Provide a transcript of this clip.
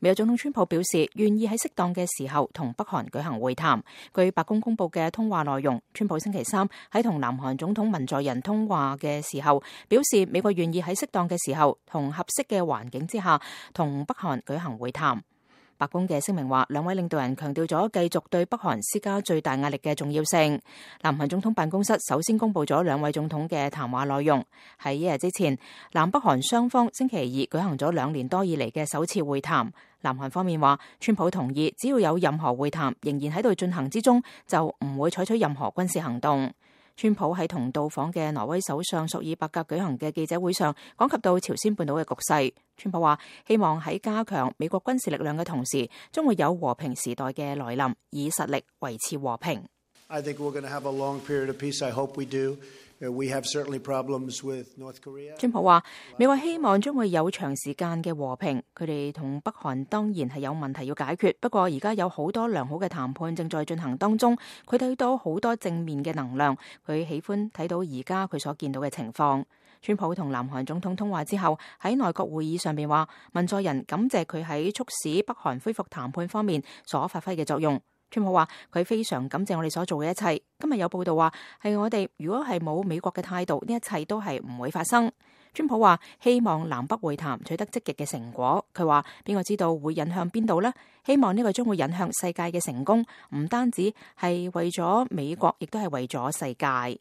美國總統川普表示願意喺適當嘅時候同北韓舉行會談。據白宮公佈嘅通話內容，川普星期三喺同南韓總統文在寅通話嘅時候，表示美國願意喺適當嘅時候同合適嘅環境之下同北韓舉行會談。白宮嘅聲明話，兩位領導人強調咗繼續對北韓施加最大壓力嘅重要性。南韓總統辦公室首先公佈咗兩位總統嘅談話內容。喺一日之前，南北韓雙方星期二舉行咗2年多以嚟嘅首次會談。南韓方面話，川普同意只要有任何會談仍然喺度進行之中，就唔會採取任何軍事行動。川普喺同到訪嘅挪威首相朔爾伯格舉行嘅記者會上，講及到朝鮮半島嘅局勢。川普話，希望喺加強美國軍事力量嘅同時，將會有和平時代嘅來臨，以實力維持和平。I think we're going to have a long period of peace. I hope we do. We have certainly problems with North Korea. 川普話，美國希望將會有長時間嘅和平。佢哋同北韓當然係有問題要解決，不過而家有好多良好嘅談判正在進行當中。佢睇到好多正面嘅能量，佢喜歡睇到而家佢所見到嘅情況。川普同南韓總統通話之後，喺內閣會議上邊話，文在寅感謝佢喺促使北韓恢復談判方面所發揮嘅作用。川普話，佢非常感謝我哋所做嘅一切。今日有報道話，係我哋如果係冇美國嘅態度，呢一切都係唔會發生。川普話，希望南北會談取得積極嘅成果。佢話，邊個知道會引向邊度呢？希望呢個將會引向世界嘅成功，唔單止係為咗美國，亦都係為咗世界。